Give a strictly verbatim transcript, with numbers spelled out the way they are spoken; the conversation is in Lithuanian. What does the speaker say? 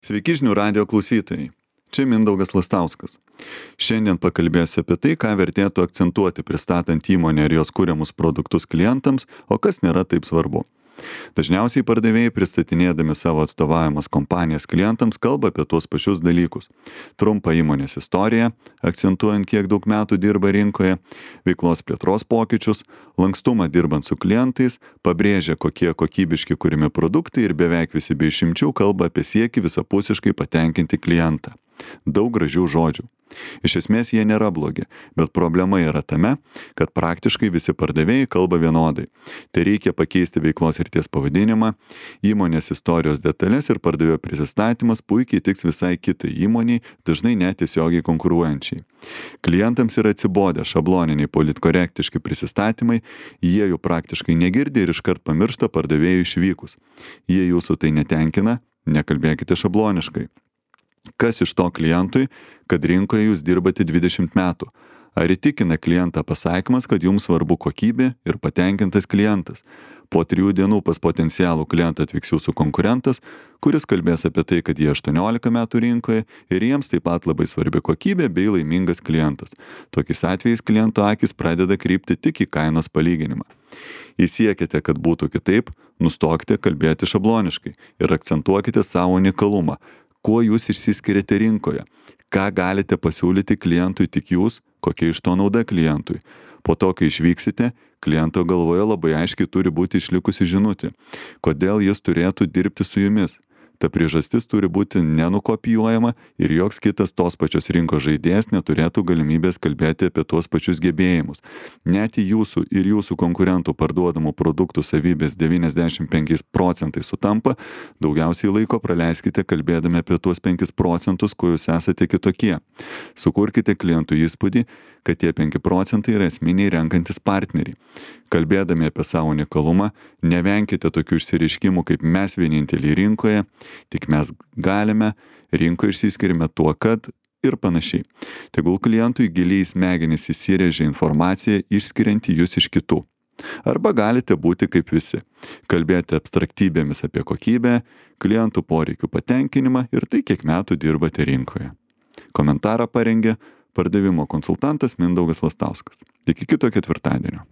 Sveiki žinių radijo klausytojai. Čia Mindaugas Lastauskas. Šiandien pakalbėsiu apie tai, ką vertėtų akcentuoti pristatant įmonę ir jos kuriamus produktus klientams, o kas nėra taip svarbu. Dažniausiai pardavėjai pristatinėdami savo atstovaujamas kompanijas klientams kalba apie tuos pačius dalykus. Trumpą įmonės istoriją, akcentuojant kiek daug metų dirba rinkoje, veiklos plėtros pokyčius, lankstumą dirbant su klientais, pabrėžia kokie kokybiški kūrimi produktai ir beveik visi be išimčių kalba apie siekį visapusiškai patenkinti klientą. Daug gražių žodžių. Iš esmės jie nėra blogi, bet problema yra tame, kad praktiškai visi pardavėjai kalba vienodai. Tai reikia pakeisti veiklos srities pavadinimą, įmonės istorijos detalės ir pardavėjo prisistatymas puikiai tiks visai kitai įmoniai, dažnai net tiesiogiai konkuruojančiai. Klientams yra atsibodę šabloniniai politkorektiški prisistatymai, jie jų praktiškai negirdi ir iškart pamiršta pardavėjų išvykus. Jei jūsų tai netenkina, nekalbėkite šabloniškai. Kas iš to klientui, kad rinkoje jūs dirbate dvidešimt metų? Ar įtikina klientą pasakymas, kad jums svarbu kokybė ir patenkintas klientas? Po trijų dienų pas potencialų klientą atvyks jūsų konkurentas, kuris kalbės apie tai, kad jie aštuoniolika metų rinkoje ir jiems taip pat labai svarbi kokybė bei laimingas klientas. Tokiais atvejais kliento akis pradeda krypti tik į kainos palyginimą. Jei siekiate, kad būtų kitaip, nustokite kalbėti šabloniškai ir akcentuokite savo unikalumą. Kuo jūs išsiskiriate rinkoje? Ką galite pasiūlyti klientui tik jūs, kokia iš to nauda klientui? Po to, kai išvyksite, kliento galvoje labai aiškiai turi būti išlikusi žinutė, kodėl jis turėtų dirbti su jumis. Ta priežastis turi būti nenukopijuojama ir joks kitas tos pačios rinkos žaidėjas neturėtų galimybės kalbėti apie tuos pačius gebėjimus. Net į jūsų ir jūsų konkurentų parduodamų produktų savybės devyniasdešimt penkiais procentais sutampa, daugiausiai laiko praleiskite kalbėdami apie tuos penkis procentus, kuo jūs esate kitokie. Sukurkite klientui įspūdį, kad tie penki procentai yra esminiai renkantis partneriai. Kalbėdami apie savo unikalumą, nevenkite tokių išsireiškimų kaip mes vieninteliai rinkoje, tik mes galime, rinkoje išsiskiriame tuo, kad ir panašiai. Tegul klientui giliai į smegenis įsirėžia informacija, išskirianti jūs iš kitų. Arba galite būti kaip visi. Kalbėti abstraktybėmis apie kokybę, klientų poreikių patenkinimą ir tai, kiek metų dirbate rinkoje. Komentarą parengė pardavimo konsultantas Mindaugas Lastauskas. Iki kito ketvirtadienio.